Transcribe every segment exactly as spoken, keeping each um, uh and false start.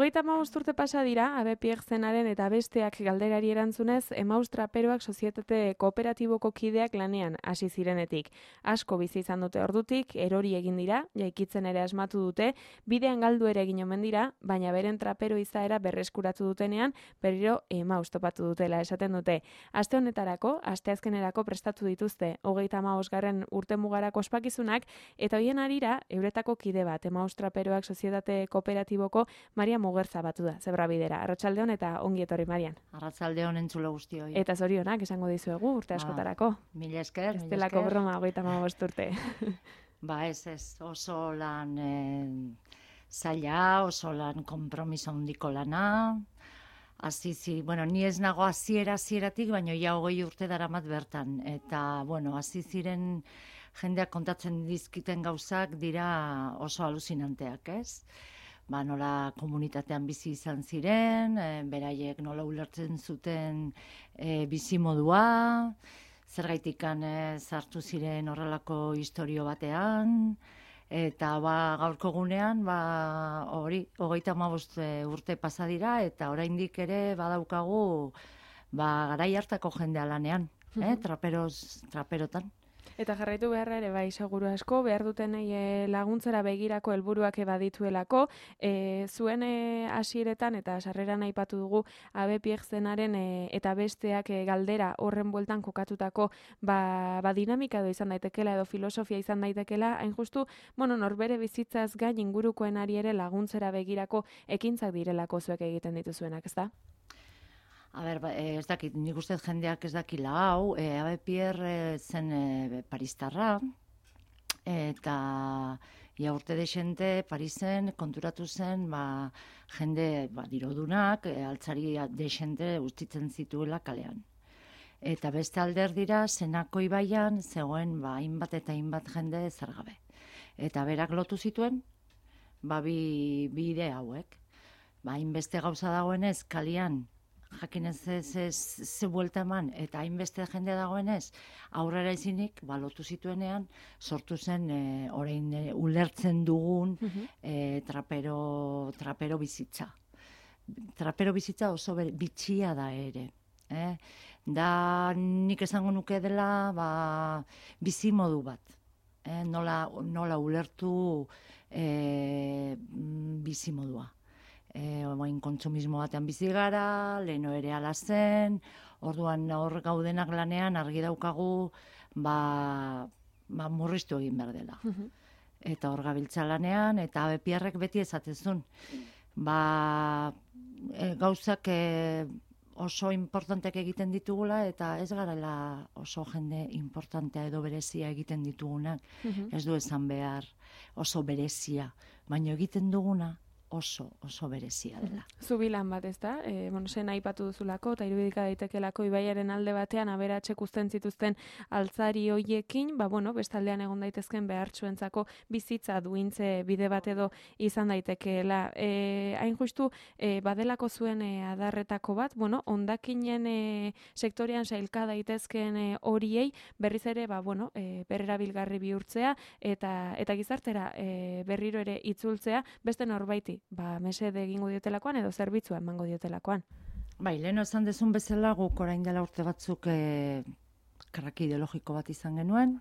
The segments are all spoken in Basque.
Hogeita hamabost urte pasa dira, Abe Pierre zenaren eta besteak galderari erantzunez, Emaus traperoak sozietate kooperatiboko kideak lanean hasi zirenetik. Asko bizi izan dute ordutik, erori egin dira, jaikitzen ere asmatu dute, bidean galdu ere egin omen dira, baina beren trapero izaera berreskuratu dutenean, berriro Emaus topatu dutela esaten dute. Aste honetarako, asteazkenerako prestatu dituzte, hogeita hamabosgarren urte mugarako ospakizunak, eta hoien harira, euretako kide bat, Emaus traperoak sozietate kooperatiboko Maria Mugerza batu da, Zebrabidera. Arratsaldeon eta ongi etorri, Marian. Arratsaldeon entzulo guztioi. Eta zorionak esango dizuegu urte askotarako. Mila esker, mila esker. Estelako broma hogeita hamabost urte. Ba ez ez, oso lan eh, zaila, oso lan konpromiso handiko lana. Hasi bueno, ni ez nago hasiera hasieratik, baina ja hogei urte daramat bertan. Eta, bueno, hasi ziren jendeak kontatzen dizkiten gauzak dira oso aluzinanteak, ez? Ba, nola komunitatean bizi izan ziren, e, beraiek nola ulertzen zuten e, bizimodua, zergaitikan e, sartu ziren horrelako istorio batean, eta ba, gaurko gunean, ba, hori, hogeita hamabost urte pasa dira, eta oraindik ere badaukagu ba, garai hartako jendea lanean, eh, traperos, traperotan. Eta jarraitu beharra ere bai seguru asko, behar dutenei laguntzera begirako helburuak badituelako, e, zuen hasieretan eta sarreran aipatu dugu Abe Pierre zenaren e, eta besteak e, galdera horren bueltan kokatutako ba, ba dinamika edo izan daitekela edo filosofia izan daitekela, hain justu, bueno, norbere bizitzaz gain ingurukoenari ere laguntzera begirako ekintzak direlako zuek egiten dituzuenak, ezta? A ber, ez dakit, nik uste jendeak ez dakila hau, e, Abe Pierre zen e, paristarra, eta ia urte desente Parisen konturatu zen, ba, jende ba, dirodunak, e, altzari desente ustitzen zituela kalean. Eta beste alderdira, Zenako ibaian, zegoen ba, hainbat eta hainbat jende zergabe. Eta berak lotu zituen, ba, bi, bi ide hauek. Ba, hainbeste gauza dagoenez, kalian, jakin ez ze buelta eman, eta hainbeste jende dagoenez, aurrera izinik, balotu zituenean, sortu zen, e, orain e, ulertzen dugun e, trapero, trapero bizitza. Trapero bizitza oso ber, bitxia da ere. Eh? Da nik esango nuke dela ba, bizimodu bat. Eh? Nola, nola ulertu e, bizimodua. E, oain kontsumismo batean bizi gara, leheno ere ala zen, orduan hor gaudenak lanean argi daukagu ba, ba murriztu egin behar dela. Eta hor gabiltza lanean, eta Abe Pierrek beti esatezun. Ba, e, gauzak e, oso importanteak egiten ditugula, eta ez garela oso jende importantea edo berezia egiten ditugunak. Ez du esan behar oso berezia, baina egiten duguna, oso, oso berezia dela. Zubilan bat, ez da? E, bueno, zen aipatu duzulako, eta irudika daitekelako ibaiaren alde batean aberatxek uzten zituzten altzari hoiekin, ba, bueno, bestaldean egon daitezken behartsuentzako bizitza duintze bide bat edo izan daitekeela. E, hain justu, e, badelako zuen e, adarretako bat, bueno, hondakinen e, sektorean sailka daitezken e, horiei, berriz ere, ba, bueno, e, berrerabilgarri bihurtzea, eta, eta gizartera e, berriro ere itzultzea, beste norbaiti ba, mesede egingo diotelakoan edo zerbitzua emango diotelakoan. Bai, leheno esan dezun bezala guk orain dela urte batzuk e, karraki ideologiko bat izan genuen,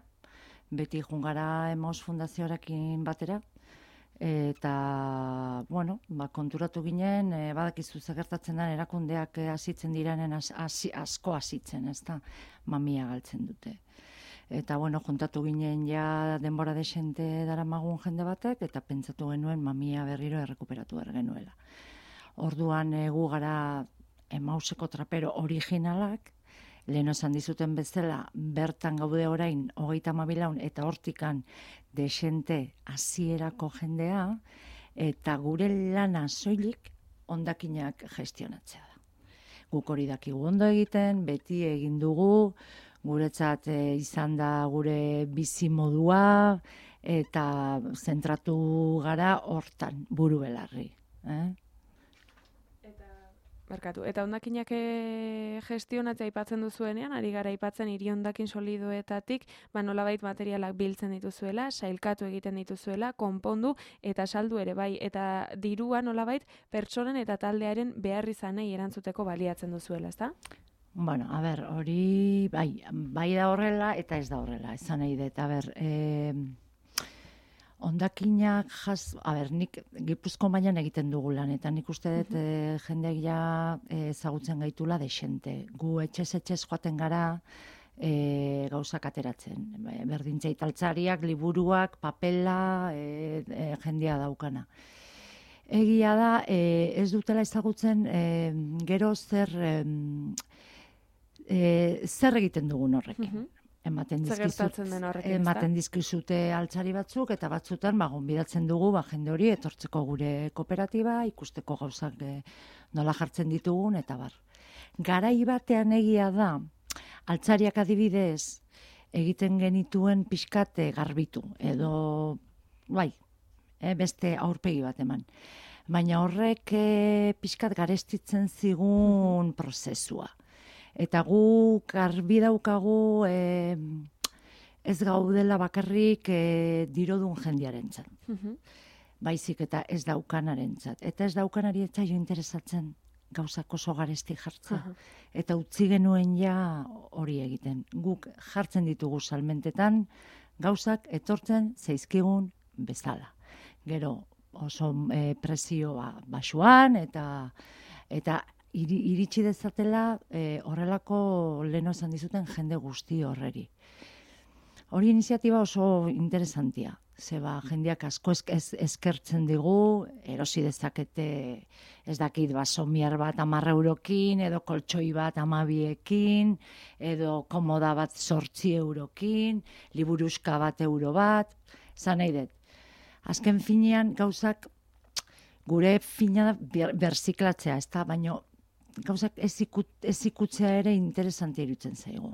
beti jungara Emaus Fundazioarekin batera, eta, bueno, ba, konturatu ginen, e, badakizu gertatzen den erakundeak hasitzen direnen as, as, asko hasitzen, ez da, mamia galtzen dute. Eta, bueno, juntatu ginen ja denbora desente daramagun jende batek, eta pentsatu genuen mamia berriro errekuperatu behar genuela. Orduan gu gara Emauseko trapero originalak, lehen esan dizuten bezala, bertan gaude orain hogeita hamabilaun eta hortikan desente hasierako jendea, eta gure lana soilik hondakinak gestionatzea da. Guk hori dakigu ondo egiten, beti egin dugu, guretzat e, izan da gure bizimodua eta zentratu gara hortan buru belarri. Eh? Eta Barkatu. Eta hondakinak e, gestionatzea aipatzen duzuenean, ari gara aipatzen hiri hondakin solidoetatik, ba nolabait materialak biltzen dituzuela, sailkatu egiten dituzuela, konpondu eta saldu ere bai, eta dirua nolabait pertsonen eta taldearen beharrizanei erantzuteko baliatzen duzuela, ezta? Bueno, a ber, hori bai, bai da horrela eta ez da horrela, esan nahi dut. A ber, eh, hondakinak jas, a ber, nik Gipuzko mailan egiten dugu lan, eta nik uste dut eh, jendeak ja eh, ezagutzen gaitula desente. Gu etxez etxez joaten gara e, gauzak ateratzen. Berdintza italtzariak, liburuak, papela, e, e, jendea daukana. Egia da, e, ez dutela ezagutzen e, gero zer... E, E, zer egiten dugun horrekin. Mhm. Ematen Zer dizkizut, gertatzen den horrekin, ezta? ematen dizkizute altzari batzuk, eta batzutan ba, gonbidatzen dugu ba, jende hori etortzeko gure kooperatiba, ikusteko gauzak e, nola jartzen ditugun, eta bar. Garai batean egia da, altzariak adibidez, egiten genituen pixkate garbitu, edo, bai, e, beste aurpegi bat eman. Baina horrek e, pixkat garestitzen zigun prozesua. Eta gu garbi daukagu e, ez gaudela bakarrik e, dirodun jendiarentzat. Mhm. Baizik eta ez daukanarentzat. Eta ez daukanari etzaio interesatzen gauzak oso garesti jartzea. Aha. Eta utzi genuen ja hori egiten. Guk jartzen ditugu salmentetan gauzak etortzen zaizkigun bezala. Gero oso e, presioa basuan eta eta iri, iritsi dezatela e, horrelako leno esan dizuten jende guzti horreri. Hori iniziatiba oso interesantia. Zeba, jendeak asko ez, ez, eskertzen digu, erosi dezakete ez dakit basomiar bat amarra eurokin, edo koltsoi bat amabiekin, edo komoda bat sortzi eurokin, liburuska bat euro bat, zan nahi dut. Azken finean gauzak gure fina ber, berziklatzea, ez da, baino gauzak ez, ikut, ez ikutzea ere interesantia irutzen zaigu.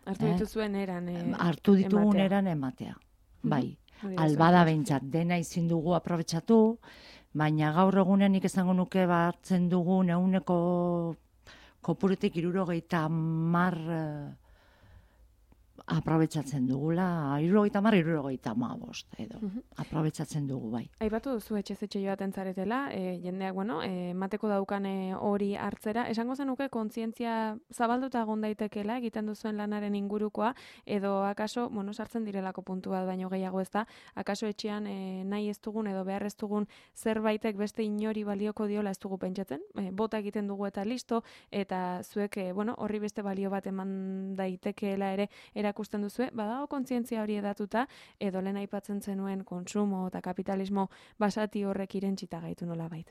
Hartu Eh? dituzuen eran e, Hartu ditugun ematea. eran ematea. Bai, Hori da albada zuen behintzat, dena ezin dugu aprobetxatu, baina gaur egunen nik esango nuke hartzen dugun eguneko kopuretik hirurogeita hamar eh, aprobetxatzen dugula, hirurogeita hamar, hirurogeita hamabost edo. Mhm. Aprobetxatzen dugu, bai. Aipatu duzu etxez etxe joaten zaretela, e, jendeak, bueno, e, mateko daukane hori hartzera. Esango zenuke kontzientzia zabalduta egon daitekeela egiten duzuen lanaren ingurukoa, edo akaso, bueno, sartzen direlako puntu bat baino gehiago ez da, akaso etxean e, nahi ez dugun edo behar ez dugun zerbaitek beste inori balioko diola ez dugu pentsatzen, e, bota egiten dugu eta listo, eta zuek, e, bueno, horri beste balio bat eman daitekeela ere erakusten duzue, badago kontzientzia hori edatuta, edo lehen aipatzen zenuen kontsumo eta kapitalismo basati horrek irentsita gaitu nolabait.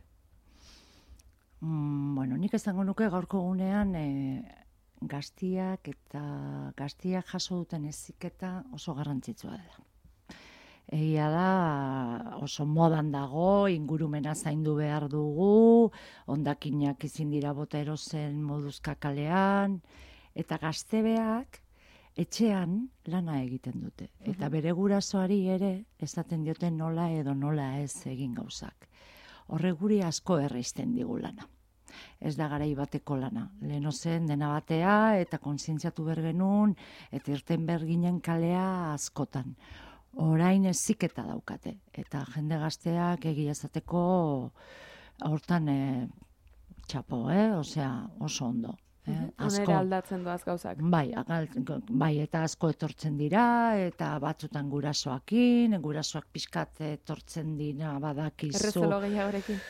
Mm, bueno, nik esango nuke gaurko gunean e, gaztiak eta gaztiak jaso duten heziketa oso garrantzitsua dela. Egia da oso modan dago, ingurumena zaindu behar dugu, hondakinak ezin dira bota erosen moduzka kalean, eta gaztebeak etxean lana egiten dute. Eta bere gurasoari ere esaten dioten nola edo nola ez egin gauzak. Horre guri asko erreizten digu lana. Ez da garai bateko lana. Leheno zen dena batea eta kontzientziatu bergenun eta irten berginen kalea askotan. Orain eziketa daukate. Eta jende gazteak egia esateko hortan e, txapo, eh? Osea, oso ondo. Eh? Honera aldatzen doaz gauzak. Bai, agal, bai, eta asko etortzen dira, eta batzutan gurasoakin, gurasoak pixkat etortzen dira badakizu. Errezelo gehiagorekin.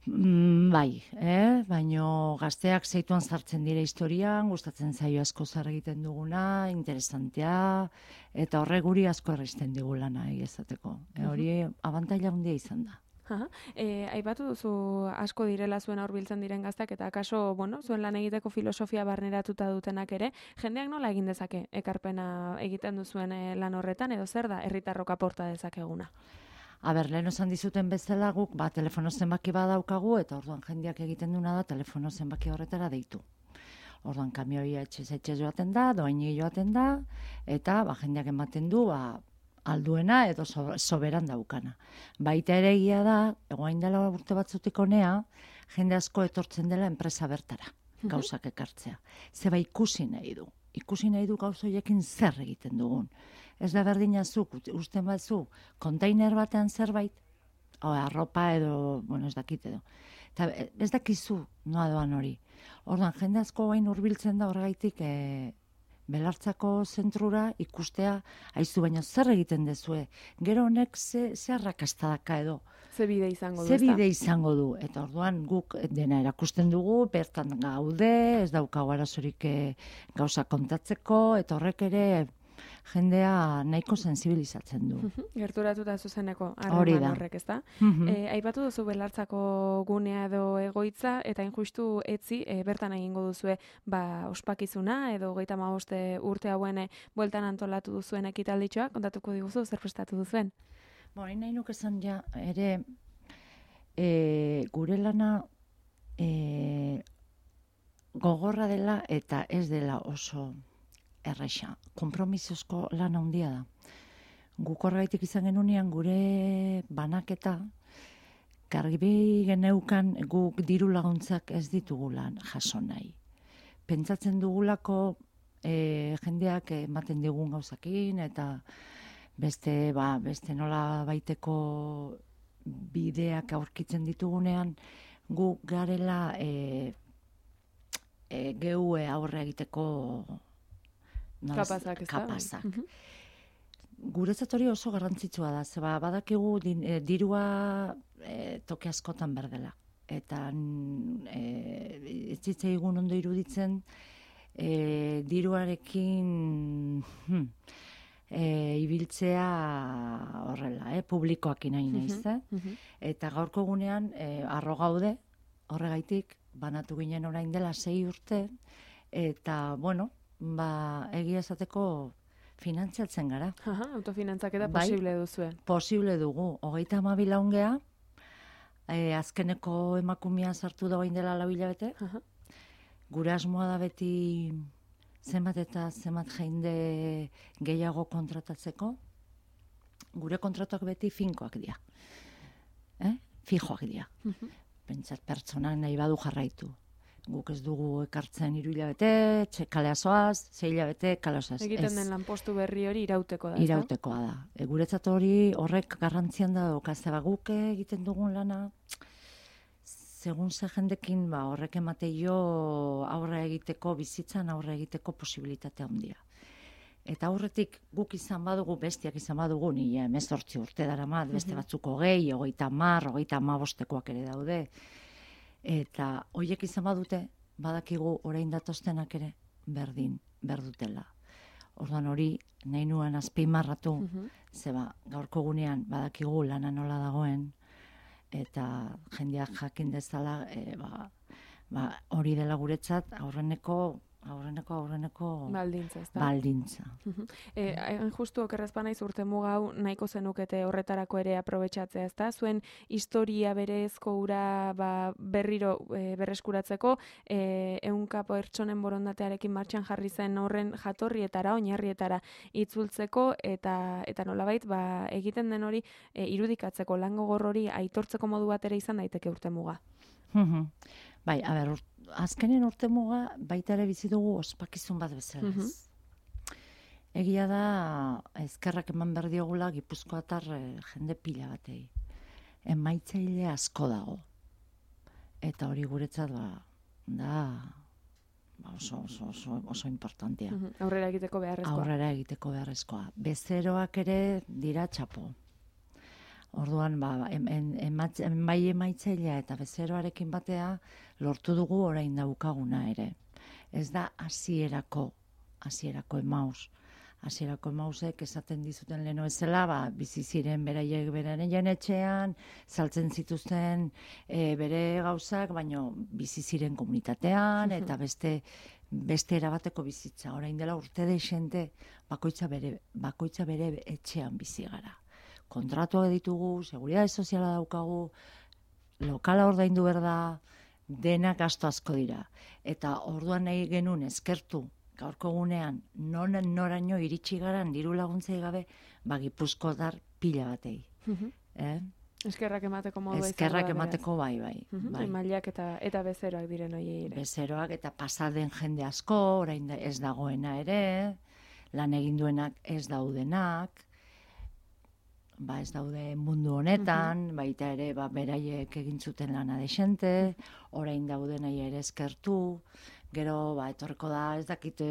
Mm, bai, eh? Baino gazteak zeituan sartzen dira historian, gustatzen zaio asko zer egiten duguna, interesantea, eta horre guri asko erreizten digulana egizateko. E, hori abantaila handia izan da. Aha. E, aipatu duzu asko direla zuen aurbiltzen diren gaztak eta akaso, bueno, zuen lan egiteko filosofia barneratuta dutenak ere, jendeak nola egin dezake ekarpena egiten duzuen e, lan horretan, edo zer da herritarrok aporta dezakeguna? Aber, lehen osan dizuten bezala guk, ba, telefono zenbaki badaukagu, eta orduan jendeak egiten duna da telefono zenbaki horretara deitu. Orduan kamioia etxez etxez joaten da, doaini joaten da, eta ba, jendeak ematen du, ba, alduena edo so, soberan daukana. Baita ere egia da, egoain dela urte batzutik honea, jende asko etortzen dela enpresa bertara, gauzak ekartzea. Zeba ikusi nahi du. Ikusi nahi du gauza horiekin zer egiten dugun. Ez da berdina zuk, usten batzu, kontainer batean zerbait, o, arropa edo, bueno, ez dakit edo. Eta ez dakizu noa doan hori. Orduan, jende asko gain hurbiltzen da horregaitik e, belartzako zentrura ikustea, haizu baino zer egiten dezue. Gero honek ze, ze arrakastadaka edo. Ze bide izango du, Ze bide izango du. Eta orduan guk dena erakusten dugu, bertan gaude, ez daukagu arazorik e, gauza kontatzeko, eta horrek ere jendea nahiko sensibilizatzen du. Gerturatuta zuzeneko Hori harreman da. horrek, ezta? Mhm. E, aipatu duzu belartzako gunea edo egoitza, eta injustu etzi, e, bertan egingo duzue ba, ospakizuna, edo hogeita hamabost urte hauen e, bueltan antolatu duzuen ekitalditxoa, kontatuko diguzu, zer prestatu duzuen? Bo, nahi nuke esan ja, ere, e, gure lana e, gogorra dela eta ez dela oso erresa. Konpromisozko lan handia da. Guk horregaitik izan genunean gure banaketa, garbi geneukan guk diru laguntzak ez ditugulan jaso nahi. Pentsatzen dugulako e, jendeak ematen digun gauzakin eta beste, ba, beste nola baiteko bideak aurkitzen ditugunean gu garela e, e, geu aurre egiteko nola, Kapazak, ez da? kapazak. Mhm. Guretzat hori oso garrantzitsua da, zeba badakigu din, e, dirua e, toki askotan berdela. Eta mm, e, ez zitzaigun ondo iruditzen e, diruarekin hmm, e, ibiltzea horrela, eh, publikoak nahi naiz, eh? Mhm. Eta gaurko egunean e, arro gaude, horregaitik, banatu ginen orain dela sei urte, eta, bueno, ba, egia esateko finantziatzen gara. Aha, autofinantzaketa Bai. posible duzue. Posible dugu, hogeita hamabi laungea, e, azkeneko emakumea sartu da orain dela lau hilabete, Aha. gure asmoa da beti zenbat eta zenbat jende gehiago kontratatzeko, gure kontratuak beti finkoak dira. Eh? Fijoak dira. Mhm. Pentsat pertsonak nahi badu jarraitu. Guk ez dugu ekartzen hiru hilabete, txe kalea zoaz, sei hilabete kalea zoaz. Egiten Ez, den lanpostu berri hori irauteko da, ezta? irautekoa da. E, guretzat hori horrek garrantzian da dauka, zeba guk egiten dugun lana, segun ze jendekin ba, horrek emateio aurre egiteko, bizitzan aurre egiteko posibilitatea handia. Eta aurretik guk izan badugu, bestiak izan badugu, ni hemezortzi urte daramat, beste batzuk hogei, hogeita hamar, hogeita hamabostekoak ere daude. Eta hoiek izan badute, badakigu orain datoztenak ere berdin, berdutela. Orduan hori, nahi nuen azpimarratu, Mhm. zeba gaurko gunean badakigu lana nola dagoen, eta jendeak jakin dezala, e, ba, ba, hori dela guretzat aurreneko, aurreneko, aurreneko Baldintza, ezta? baldintza. E, hain justu okerrezpa naiz urte muga hau nahiko zenukete horretarako ere aprobetxatzea, ezta? Zuen historia berezko ura ba, berriro e, berreskuratzeko, e, ehunka pertsonen borondatearekin martxan jarri zen horren jatorrietara, oinarrietara itzultzeko, eta eta nolabait ba, egiten den hori e, irudikatzeko lan gogor hori aitortzeko modu bat ere izan daiteke urte muga. Mhm. Bai, a ber, urt- azkenen urte muga baita ere bizi dugu ospakizun bat bezala. Mhm. ez? Egia da, ezkerrak eman behar diogula Gipuzkoatar eh, jende pila batei. Emaitzaile asko dago. Eta hori guretzat ba, da ba, oso, oso, oso, oso importantea. Mhm. Aurrera egiteko beharrezkoa. Aurrera egiteko beharrezkoa. Bezeroak ere dira txapo. Orduan, ba, em, em, ematz- em, bai emaitzailea eta bezeroarekin batea lortu dugu orain daukaguna ere. Ez da hasierako, hasierako emaus. Hasierako emausek esaten dizuten leno ezela, ba, bizi ziren beraiek beraien etxean, saltzen zituzten e, bere gauzak, baino bizi ziren komunitatean eta beste beste erabateko bizitza. Orain dela urte deixente bakoitza bere bakoitza bere etxean bizi gara. Kontratuak ditugu, seguridade soziala daukagu, lokala ordaindu behar da, denak gasto asko dira. Eta orduan nahi genuen eskertu gaurko gunean non noraino iritsi garan diru laguntzei gabe, ba Gipuzkoar pila batei. Mhm. Eh? Eskerrak emateko modua izango da. Eskerrak emateko bai, bai. Uh-huh. bai. Mailak eta eta bezeroak diren hoiei ere. Bezeroak eta pasaden jende asko, orain ez dagoena ere, lan egin duenak ez daudenak, ba ez daude mundu honetan, uh-huh. baita ere ba, beraiek egin zuten lana desente, orain daudenai ere eskertu, gero ba, etorreko da ez dakite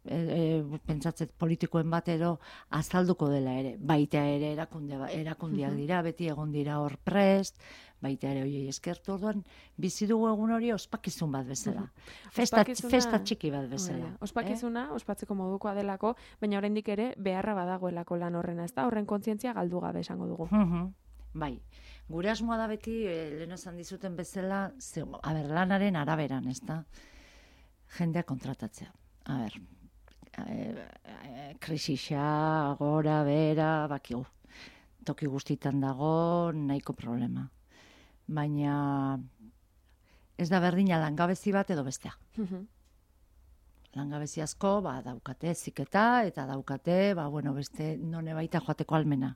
e, e, pentsatzet politikoen batero azalduko dela ere, baita ere erakunde, erakundiak dira, beti egon dira hor prest, baita ere hoiei eskertu, orduan bizi dugu egun hori ospakizun bat bezala. Festa, festa txiki bat bezala. Ospakizuna, eh? Ospatzeko modukoa delako, baina oraindik ere beharra badagoelako lan horrena, ez da? Horren kontzientzia galdu gabe esango dugu. Uh-huh. Bai. Gure asmoa da beti, eh, lehen esan dizuten bezala, ze, a ber, lanaren araberan, ez da? Jendea kontratatzea. A ber, e, e, krisisa, gora, bera, bakigu. Toki guztitan dago, nahiko problema. Baina ez da berdina langabezi bat edo bestea. Uh-huh. Langabezi asko, ba, daukate ziketa, eta daukate, ba, bueno, beste none baita joateko almena.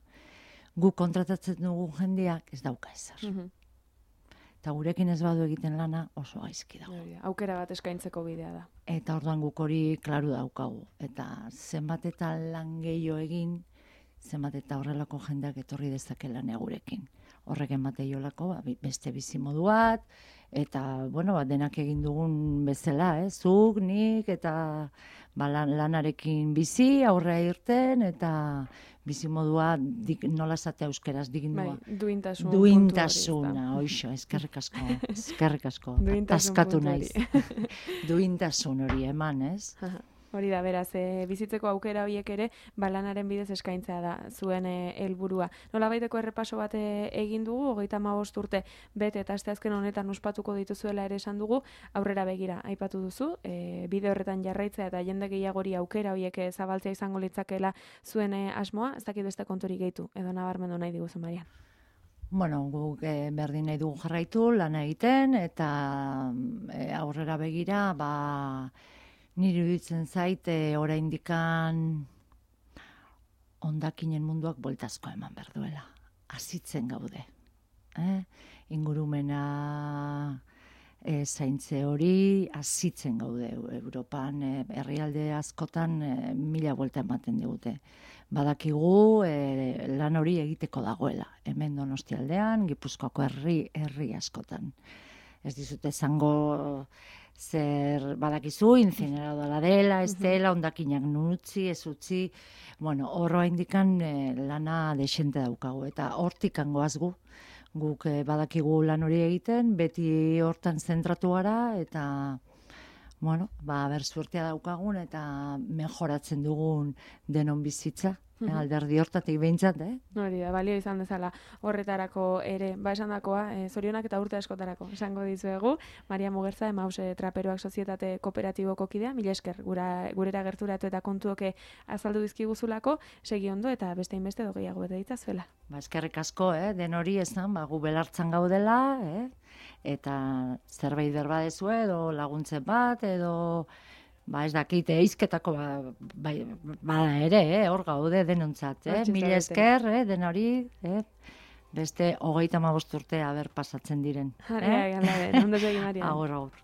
Gu kontratatzen dugu jendeak ez dauka ezer. Uh-huh. Eta gurekin ez badu egiten lana oso gaizki dago. Aukera bat eskaintzeko bidea da. Eta orduan guk hori klaru daukagu. Eta zenbat eta lan gehiago egin, zenbat eta horrelako jendeak etorri dezake lanea gurekin. Horrek emate jolako, ba, beste bizimodu bat, eta, bueno, ba, denak egin dugun bezala, eh? Zuk, nik, eta ba, lan, lanarekin bizi, aurrea irten, eta bizimodua dik, nola esatea euskeraz digindua. Bai, duintasun duintasuna, oixo, eskerrik asko, eskerrik asko. Taskatu naiz. Duintasun hori eman, ez? Hori da, beraz, e, bizitzeko aukera horiek ere, balanaren bidez eskaintzea da zuen helburua. E, Nola baiteko errepaso bat egin dugu, hogeita hamabost urte bete eta asteazken honetan ospatuko dituzuela ere esan dugu, aurrera begira aipatu duzu, e, bide horretan jarraitzea eta jende gehiagori aukera horiek zabaltzea izango litzakeela zuen asmoa, ez dakit beste konturik gehitu, edo nabarmendu nahi diguzu, Marian. Bueno, guk e, berdin nahi dugu jarraitu, lana egiten, eta e, aurrera begira, ba, niri iruditzen zait, e, oraindikan hondakinen munduak bueltazko eman behar duela. Azitzen gaude. Eh? Ingurumena e, zaintze hori, azitzen gaude. Europan, e, herrialde askotan, e, mila buelta ematen digute. Badakigu e, lan hori egiteko dagoela. Hemen Donostialdean, Gipuzkoako herri, herri askotan. Ez dizute esango zer badakizu, incineradora dela, ez dela, hondakinak nutzi, ez utzi, bueno, horroa indikan e, lana desente daukagu, eta hortik angoaz gu, guk e, badakigu lan hori egiten, beti hortan zentratu gara, eta, bueno, ba, ber suertea daukagun, eta mejoratzen dugun denon bizitza. Eh, alderdi hortatik behintzat, eh? Hori da, balio izan dezala horretarako ere, ba esan dakoa, e, zorionak eta urte askotarako esango dizuegu. Maria Mugerza, Emaus Traperoak Sozietate Kooperatiboko kidea, mila esker gura, gurera gerturatu eta kontuoke azaldu dizkiguzulako, segi ondo eta beste inbeste dogeiago bete ditzazuela. Ba, eskerrik asko, eh? Den hori esan, ba, gu belartzan gaudela, eh? Eta zerbait berba dezue, edo laguntzen bat, edo ba ez dakite eizketako ba, ba, bada ere, eh? Hor gaude denontzat, eh? Mila esker, eh? Den hori, eh? Beste hogeita hamabost urte aber pasatzen diren. Eh? Ondo segi, Marian. Agur, agur.